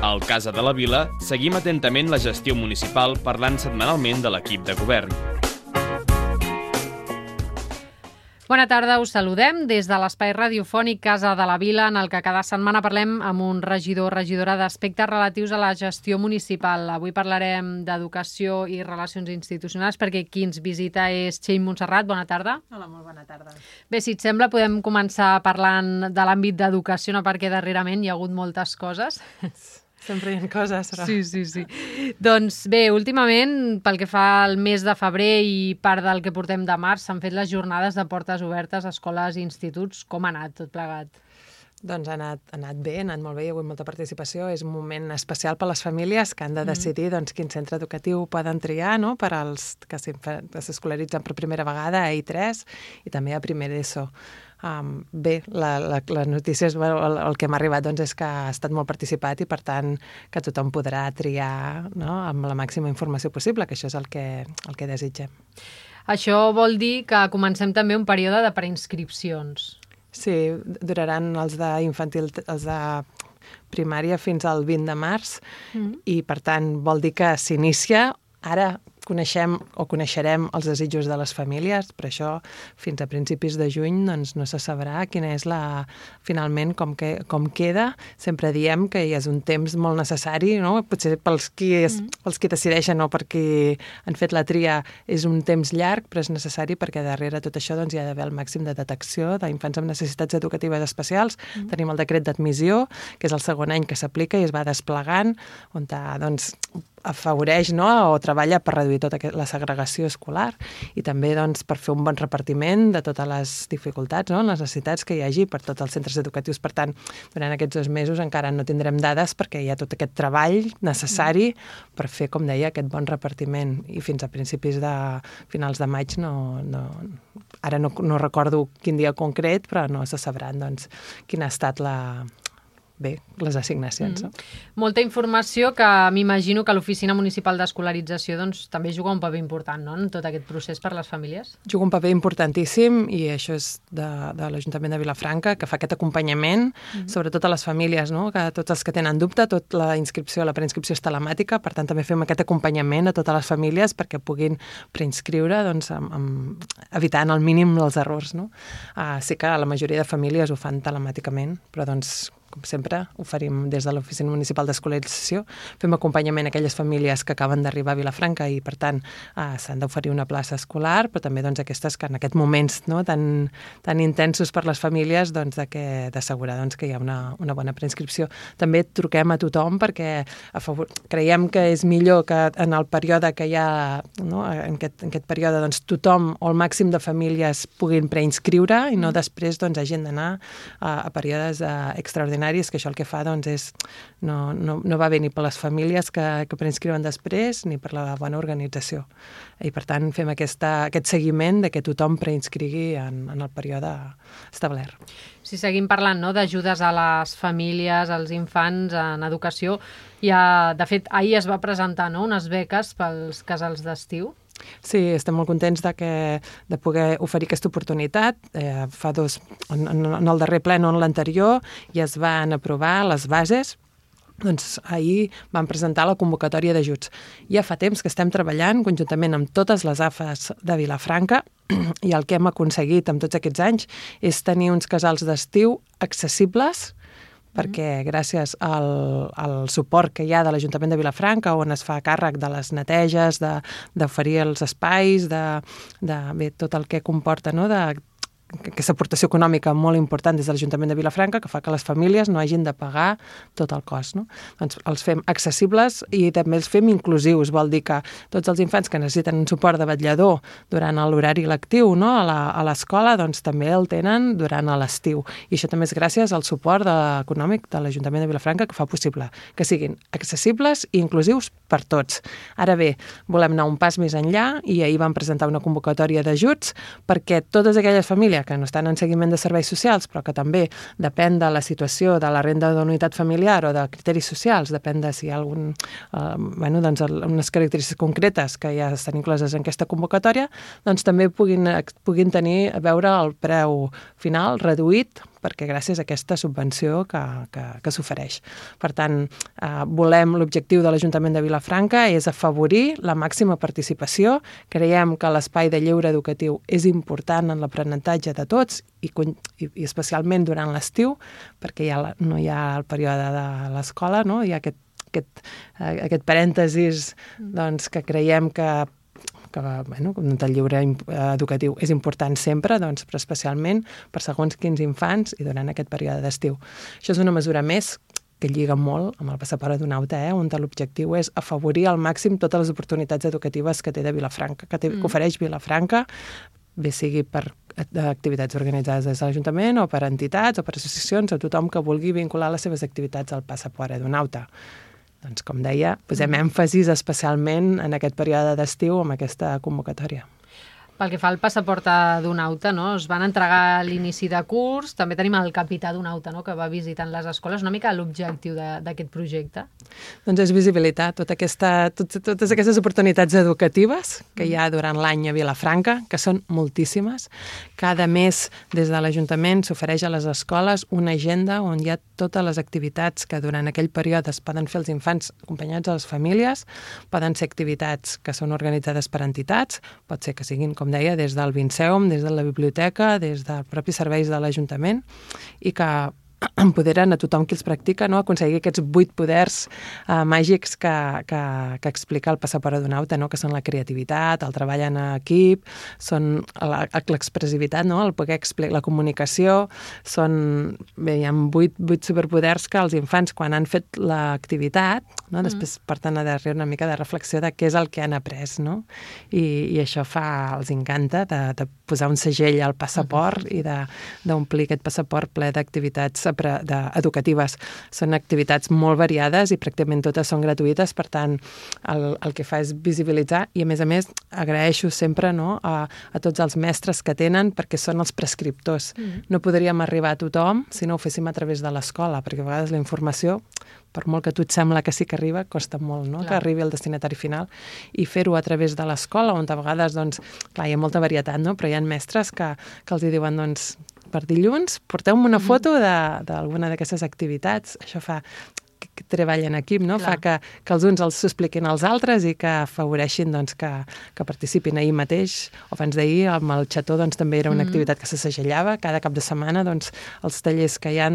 Al Casa de la Vila seguim atentament la gestió municipal parlant setmanalment de l'equip de govern. Bona tarda, us saludem des de l'espai radiofònic Casa de la Vila, en el que cada setmana parlem amb un regidor o regidora d'aspectes relatius a la gestió municipal. Avui parlarem d'educació i relacions institucionals perquè qui ens visita és Txell Montserrat. Bona tarda. Hola, molt bona tarda. Bé, si et sembla, podem començar parlant de l'àmbit d'educació, no? Perquè darrerament hi ha hagut moltes coses. Sempre hi ha coses, però... Sí. Doncs bé, últimament, pel que fa al mes de febrer i part del que portem de març, s'han fet les jornades de portes obertes a escoles i instituts. Com ha anat tot plegat? Doncs ha anat bé, ha anat molt bé, hi ha hagut molta participació. És un moment especial per a les famílies que han de decidir quin centre educatiu poden triar, no? Per als que s'escolaritzen per primera vegada a I3 i també a primer d'ESO. Bé, la notícia, el que m'ha arribat és que ha estat molt participat i, per tant, que tothom podrà triar, no? Amb la màxima informació possible, que això és el que desitgem. Això vol dir que comencem també un període de preinscripcions. Sí, duraran els d'infantil, els de primària fins al 20 de març i, per tant, vol dir que s'inicia. Ara coneixerem els desitjos de les famílies, per això fins a principis de juny no se sabrà quina és finalment com queda. Sempre diem que és un temps molt necessari, no? Potser pels qui decideixen o per qui han fet la tria és un temps llarg, però és necessari perquè darrere tot això hi ha d'haver el màxim de detecció d'infants amb necessitats educatives especials. Tenim el decret d'admissió, que és el segon any que s'aplica i es va desplegant, on afavoreix, no? O treballa per reduir tota la segregació escolar i també per fer un bon repartiment de totes les dificultats, no? Les necessitats que hi hagi per tots els centres educatius. Per tant, durant aquests 2 mesos encara no tindrem dades perquè hi ha tot aquest treball necessari per fer, com deia, aquest bon repartiment. I fins a finals de maig ara no recordo quin dia concret, però no se sabran quina ha estat les assignacions. No? Molta informació que m'imagino que l'Oficina Municipal d'Escolarització també juga un paper important, no? En tot aquest procés per a les famílies. Juga un paper importantíssim i això és de l'Ajuntament de Vilafranca, que fa aquest acompanyament, sobretot a les famílies, no? Que tots els que tenen dubte, la preinscripció és telemàtica, per tant també fem aquest acompanyament a totes les famílies perquè puguin preinscriure evitant al mínim els errors. No? Sí que la majoria de famílies ho fan telemàticament, però com sempre, oferim des de l'Oficina Municipal d'Escolarització. Fem acompanyament a aquelles famílies que acaben d'arribar a Vilafranca i, per tant, s'han d'oferir una plaça escolar, però també aquestes que en aquests moments tan intensos per les famílies d'assegurar que hi ha una bona preinscripció. També truquem a tothom perquè creiem que és millor que en el període que hi ha, no? en aquest període, tothom o el màxim de famílies puguin preinscriure i no després hagin d'anar a períodes extraordinaris, que això el que fa és no va bé ni per les famílies que preinscriuen després ni per la bona organització. I per tant fem aquest seguiment de que tothom preinscrigui en el període establert. Si seguim parlant d'ajudes a les famílies, als infants en educació, de fet ahir es va presentar unes beques pels casals d'estiu. Sí, estem molt contents de poder oferir aquesta oportunitat. En el darrer ple, no en l'anterior, ja es van aprovar les bases. Ahir vam presentar la convocatòria d'ajuts. Ja fa temps que estem treballant conjuntament amb totes les AFAs de Vilafranca i el que hem aconseguit en tots aquests anys és tenir uns casals d'estiu accessibles perquè gràcies al suport que hi ha de l'Ajuntament de Vilafranca, on es fa càrrec de les neteges, d'oferir els espais, de tot el que comporta, no? Aquesta aportació econòmica molt important des de l'Ajuntament de Vilafranca que fa que les famílies no hagin de pagar tot el cost. No? Els fem accessibles i també els fem inclusius. Vol dir que tots els infants que necessiten un suport de vetllador durant l'horari lectiu, no? a l'escola, també el tenen durant l'estiu. I això també és gràcies al suport econòmic de l'Ajuntament de Vilafranca que fa possible que siguin accessibles i inclusius per tots. Ara bé, volem anar un pas més enllà i ahir vam presentar una convocatòria d'ajuts perquè totes aquelles famílies que no estan en seguiment de serveis socials, però que també depèn de la situació de la renda d'unitat familiar o de criteris socials, depèn de si hi ha unes característiques concretes que ja estan incloses en aquesta convocatòria, també puguin tenir a veure el preu final reduït perquè gràcies a aquesta subvenció que s'ofereix. Per tant, l'objectiu de l'Ajuntament de Vilafranca és afavorir la màxima participació. Creiem que l'espai de lleure educatiu és important en l'aprenentatge de tots i especialment durant l'estiu, perquè no hi ha el període de l'escola, no? Hi ha aquest parèntesis doncs, que creiem que el lleure educatiu és important sempre, doncs, però especialment per segons quins infants i durant aquest període d'estiu. Això és una mesura més que lliga molt amb el passaport adonauta, on l'objectiu és afavorir al màxim totes les oportunitats educatives que té de Vilafranca, que ofereix Vilafranca, bé sigui per activitats organitzades des de l'Ajuntament o per entitats o per associacions o tothom que vulgui vincular les seves activitats al passaport adonauta. Doncs, com deia, posem èmfasis especialment en aquest període d'estiu amb aquesta convocatòria. Pel que fa al passaport adonauta, no? Es van entregar a l'inici de curs, també tenim el capità adonauta, no? Que va visitant les escoles, una mica l'objectiu d'aquest projecte. Doncs és visibilitat, totes aquestes oportunitats educatives que hi ha durant l'any a Vilafranca, que són moltíssimes. Cada mes des de l'Ajuntament s'ofereix a les escoles una agenda on hi ha totes les activitats que durant aquell període es poden fer els infants acompanyats a les famílies, poden ser activitats que són organitzades per entitats, pot ser que siguin, com deia, des del Vinceum, des de la biblioteca, des dels propis serveis de l'Ajuntament, i que empoderen a tothom qui els practica, no? Aconseguir aquests 8 poders màgics que explica el passaport adonauta, no? Que són la creativitat, el treball en equip, són l'expressivitat, no? El poder explicar la comunicació, hi ha 8 superpoders que els infants, quan han fet l'activitat, no? Després porten a darrere una mica de reflexió de què és el que han après, no? I això els encanta de posar un segell al passaport i d'omplir aquest passaport ple d'activitats educatives. Són activitats molt variades i pràcticament totes són gratuïtes, per tant, el que fa és visibilitzar i, a més, agraeixo sempre, no, a tots els mestres que tenen, perquè són els prescriptors. No podríem arribar a tothom si no ho féssim a través de l'escola, perquè a vegades la informació, per molt que a tu et sembla que sí que arriba, costa molt, no? Que arribi al destinatari final, i fer-ho a través de l'escola, on a vegades, doncs, clar, hi ha molta varietat, no? Però hi ha mestres que els diuen, doncs, per dilluns, porteu-me una foto d'alguna d'aquestes activitats. Això fa que treball en equip, no? Clar. Fa que els uns els expliquin als altres i que afavoreixin, doncs, que participin. Ahir mateix, o abans d'ahir, amb el xató, doncs, també era una activitat que se segellava. Cada cap de setmana, doncs, els tallers que hi ha,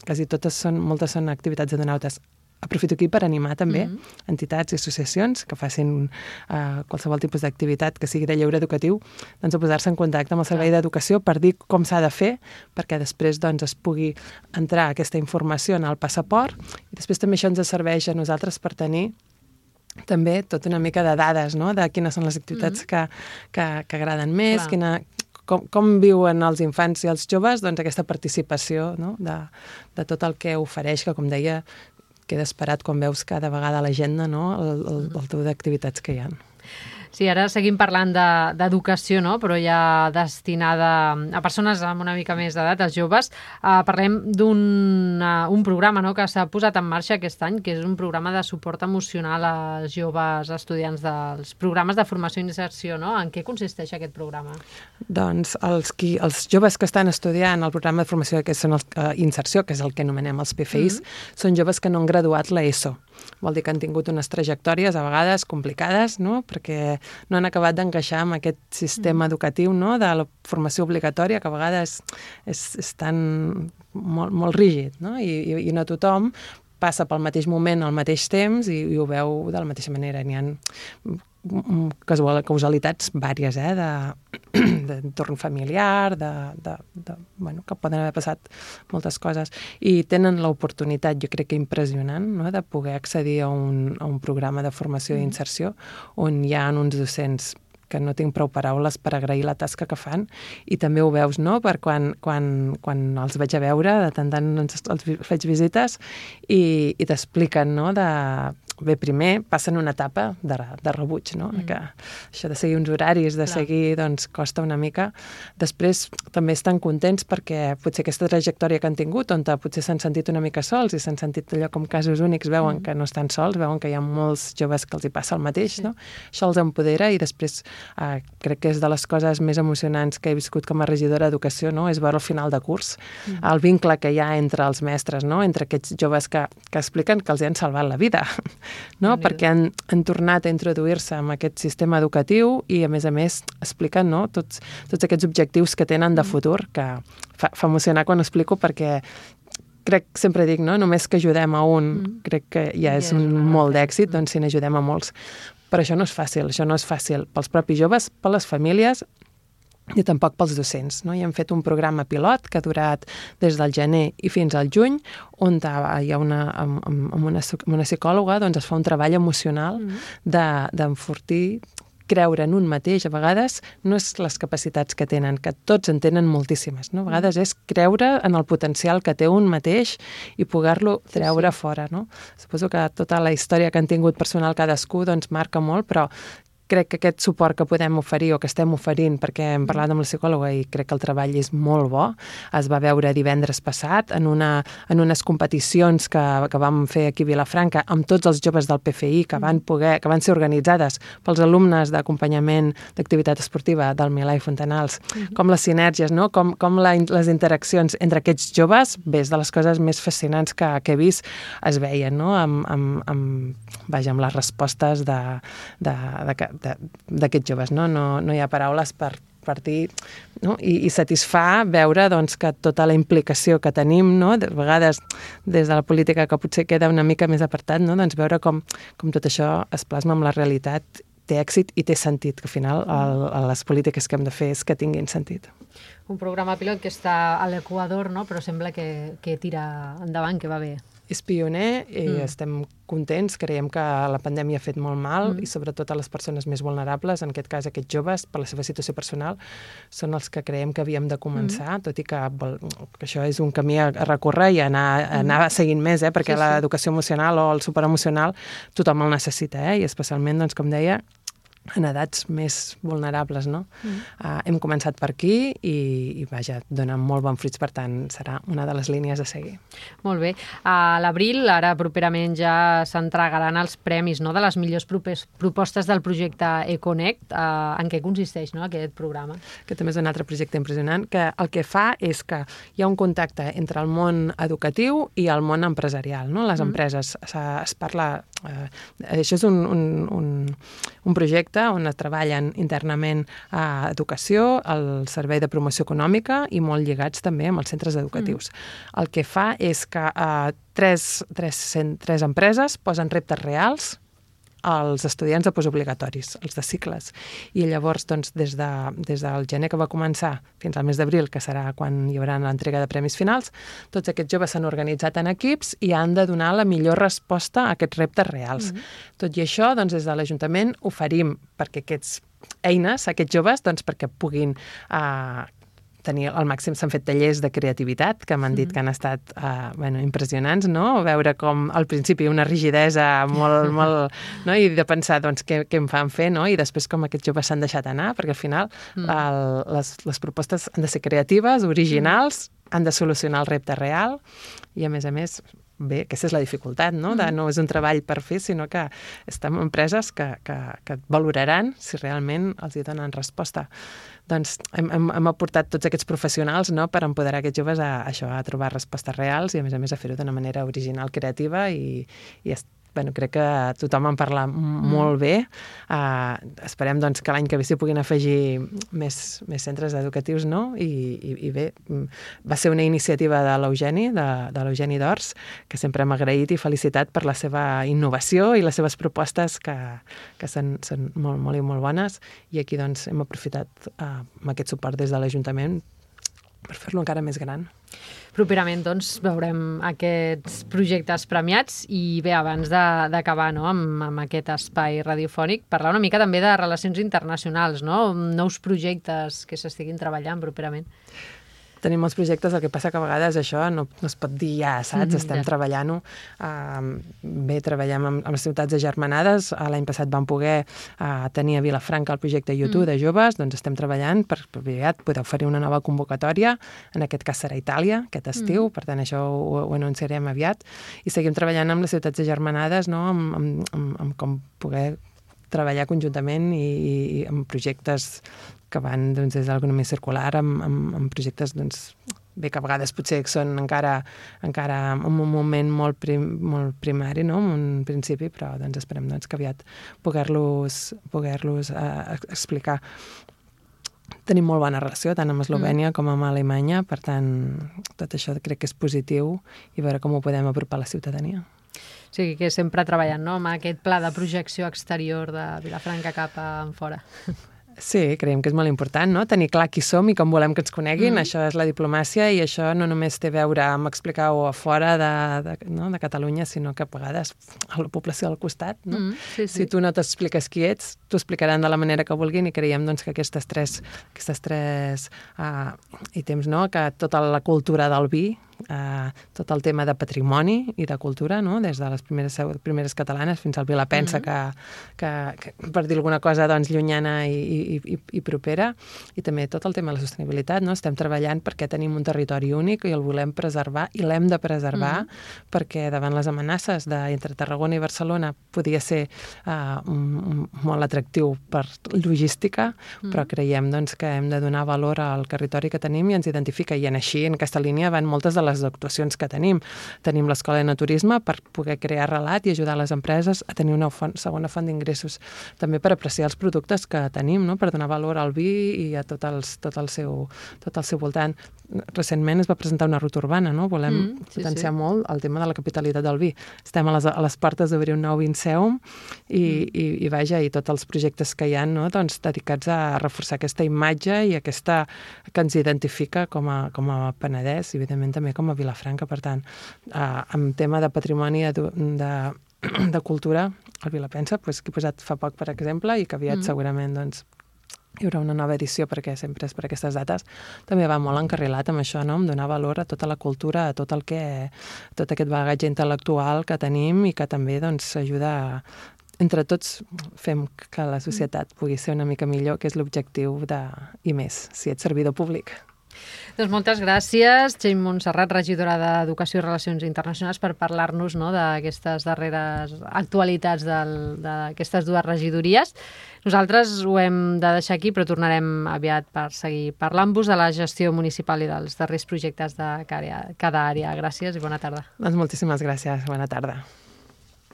quasi moltes són activitats adonautes. Aprofito aquí per animar també entitats i associacions que facin qualsevol tipus d'activitat que sigui de lleure educatiu, doncs a posar-se en contacte amb el Servei d'Educació per dir com s'ha de fer, perquè després, doncs, es pugui entrar aquesta informació en el passaport, i després també això ens serveix a nosaltres per tenir també tota una mica de dades, no?, de quines són les activitats que agraden més, com viuen els infants i els joves, doncs, aquesta participació, no?, de tot el que ofereix, que, com deia, queda esperat quan veus cada vegada a l'agenda, no?, el teu d'activitats que hi ha. Sí, ara seguim parlant d'educació, no? Però ja destinada a persones amb una mica més d'edat, els joves. Parlem d'un programa, no?, que s'ha posat en marxa aquest any, que és un programa de suport emocional als joves estudiants dels programes de formació i inserció, no? En què consisteix aquest programa? Doncs els joves que estan estudiant el programa de formació inserció, que és el que anomenem els PFIs, són joves que no han graduat l'ESO. Vol dir que han tingut unes trajectòries a vegades complicades, no?, perquè no han acabat d'encaixar amb aquest sistema educatiu, no?, de la formació obligatòria, que a vegades és tan molt rígid, no?, i no tothom passa pel mateix moment al mateix temps i ho veu de la mateixa manera. N'hi ha causalitats vàries, d'entorn familiar, que poden haver passat moltes coses, i tenen l'oportunitat, jo crec que impressionant, no?, de poder accedir a un programa de formació i inserció on hi ha uns docents que no tinc prou paraules per agrair la tasca que fan, i també ho veus, no?, per quan els veig a veure, de tant els faig visites i t'expliquen, no?, bé, primer passen una etapa de rebuig, no? Que això de seguir uns horaris, de seguir, doncs, costa una mica. Després també estan contents perquè potser aquesta trajectòria que han tingut, on potser s'han sentit una mica sols i s'han sentit allò com casos únics, veuen que no estan sols, veuen que hi ha molts joves que els hi passa el mateix, no? Això els empodera i després crec que és de les coses més emocionants que he viscut com a regidora d'Educació, no? És veure al final de curs el vincle que hi ha entre els mestres, no? Entre aquests joves que expliquen que els han salvat la vida, no? Perquè han tornat a introduir-se en aquest sistema educatiu i, a més, expliquen, no? Tots aquests objectius que tenen de futur, que fa emocionar quan ho explico perquè crec, sempre dic, no? Només que ajudem a un, crec que ja és molt d'èxit, doncs si n'ajudem a molts. Però això no és fàcil pels propis joves, per les famílies i tampoc pels docents, no? I hem fet un programa pilot que ha durat des del gener i fins al juny, on hi ha amb una psicòloga, doncs es fa un treball emocional d'enfortir, creure en un mateix, a vegades no és les capacitats que tenen, que tots en tenen moltíssimes, no? A vegades és creure en el potencial que té un mateix i poder-lo treure fora, no? Suposo que tota la història que han tingut personal cadascú doncs marca molt, però crec que aquest suport que podem oferir o que estem oferint, perquè hem parlat amb la psicòloga i crec que el treball és molt bo, es va veure divendres passat en unes competicions que vam fer aquí a Vilafranca amb tots els joves del PFI que van ser organitzades pels alumnes d'acompanyament d'activitat esportiva del Milà i Fontanals, com les sinergies, no? Com les interaccions entre aquests joves, bé, és de les coses més fascinants que he vist, es veien, no? Amb les respostes d'aquests joves, no? No hi ha paraules per dir, no? I satisfà veure doncs, que tota la implicació que tenim, no? De vegades des de la política que potser queda una mica més apartat, no? Doncs veure com tot això es plasma amb la realitat, té èxit i té sentit, que al final les polítiques que hem de fer és que tinguin sentit. Un programa pilot que està a l'Equador, no? Però sembla que tira endavant, que va bé. És pioner i estem contents, creiem que la pandèmia ha fet molt mal i sobretot a les persones més vulnerables, en aquest cas aquests joves, per la seva situació personal, són els que creiem que havíem de començar, tot i que això és un camí a recórrer i anar seguint més, perquè l'educació emocional o el suport emocional tothom el necessita, i especialment, doncs, com deia, en edats més vulnerables, no? Hem començat per aquí i vaja, donen molt bons fruits, per tant, serà una de les línies a seguir. Molt bé. A l'abril, ara properament ja s'entregaran els premis, no?, de les millors propostes del projecte Econnect. En què consisteix, no?, aquest programa? Aquest també és un altre projecte impressionant, que el que fa és que hi ha un contacte entre el món educatiu i el món empresarial, no? Les empreses, es parla... Això és un projecte on es treballen internament a educació, al servei de promoció econòmica i molt lligats també amb els centres educatius. El que fa és que tres empreses posen reptes reals als estudiants de postobligatoris, els de cicles. I llavors, doncs, des del gener que va començar fins al mes d'abril, que serà quan hi haurà l'entrega de premis finals, tots aquests joves s'han organitzat en equips i han de donar la millor resposta a aquests reptes reals. Tot i això, doncs, des de l'Ajuntament oferim perquè aquests joves, doncs, perquè puguin tenir al màxim, s'han fet tallers de creativitat que m'han dit que han estat impressionants, no? Veure com al principi una rigidesa molt, no? I de pensar doncs, què em fan fer, no? I després com aquests joves s'han deixat anar, perquè al final les propostes han de ser creatives, originals, han de solucionar el repte real i a més, bé, aquesta és la dificultat, no? No és un treball per fer, sinó que estem en empreses que et valoraran si realment els hi donen resposta. Doncs hem aportat tots aquests professionals, no?, per empoderar aquests joves a trobar respostes reals i a més a fer-ho d'una manera original, creativa i crec que tothom en parla molt bé. Esperem doncs, que l'any que ve s'hi puguin afegir més centres educatius, no? I bé, va ser una iniciativa de l'Eugeni d'Ors, que sempre hem agraït i felicitat per la seva innovació i les seves propostes que són molt, molt i molt bones. I aquí doncs, hem aprofitat amb aquest suport des de l'Ajuntament per fer-lo encara més gran. Properament, doncs, veurem aquests projectes premiats i bé, abans d'acabar, no?, amb aquest espai radiofònic, parlar una mica també de relacions internacionals, no?, nous projectes que s'estiguin treballant properament. Tenim molts projectes, el que passa que a vegades això no es pot dir ja, saps? Estem treballant-ho. Bé, treballem amb les ciutats agermanades. L'any passat vam poder tenir a Vilafranca el projecte YouTube de joves, doncs estem treballant per aviat poder oferir una nova convocatòria. En aquest cas serà Itàlia, aquest estiu, per tant això ho anunciarem aviat. I seguim treballant amb les ciutats agermanades, no? amb com poder treballar conjuntament i amb projectes que van des de l'economia circular, amb projectes bé, que a vegades potser són encara en un moment molt primari, no? En un principi, però esperem que aviat poder-los explicar. Tenim molt bona relació, tant amb Eslovènia com amb Alemanya, per tant, tot això crec que és positiu i veure com ho podem apropar a la ciutadania. O sigui que sempre treballant, no?, amb aquest pla de projecció exterior de Vilafranca cap a fora. Sí, creiem que és molt important, no? Tenir clar qui som i com volem que ens coneguin. Això és la diplomàcia i això no només té a veure amb explicar-ho a fora de Catalunya, sinó que a vegades a la població del costat. No? Si tu no t'expliques qui ets, t'ho explicaran de la manera que vulguin i creiem que aquestes tres ítems, no? Que tota la cultura del vi, tot el tema de patrimoni i de cultura, no? Des de les primeres catalanes fins al Vilapensa, que per dir alguna cosa llunyana i propera, i també tot el tema de la sostenibilitat, no? Estem treballant perquè tenim un territori únic i el volem preservar i l'hem de preservar perquè davant les amenaces entre Tarragona i Barcelona podia ser molt atractiu per logística, però creiem que hem de donar valor al territori que tenim i ens identifica, i així en aquesta línia van moltes de les actuacions que tenim. Tenim l'Escola de Naturisme per poder crear relat i ajudar les empreses a tenir una segona font d'ingressos, també per apreciar els productes que tenim, no? Per donar valor al vi i a tot el seu voltant. Recentment es va presentar una ruta urbana, no? Volem potenciar molt el tema de la capitalitat del vi. Estem a les portes d'obrir un nou Vinceum i vaja, i tots els projectes que hi ha, no? Dedicats a reforçar aquesta imatge i aquesta que ens identifica com a Penedès i evidentment també com a Vilafranca. Per tant, en tema de patrimoni de cultura, el Vilapensa, que he posat fa poc, per exemple, i que aviat segurament hi haurà una nova edició perquè sempre és per aquestes dates, també va molt encarrilat amb això, no? Amb donar valor a tota la cultura, a tot aquest bagatge intel·lectual que tenim i que també ajuda entre tots fem que la societat pugui ser una mica millor, que és l'objectiu i més, si ets servidor públic. Doncs moltes gràcies, Txell Montserrat, regidora d'Educació i Relacions Internacionals, per parlar-nos, no, d'aquestes darreres actualitats d'aquestes dues regidories. Nosaltres ho hem de deixar aquí, però tornarem aviat per seguir parlant-vos de la gestió municipal i dels darrers projectes de cada àrea. Gràcies i bona tarda. Doncs moltíssimes gràcies. Bona tarda.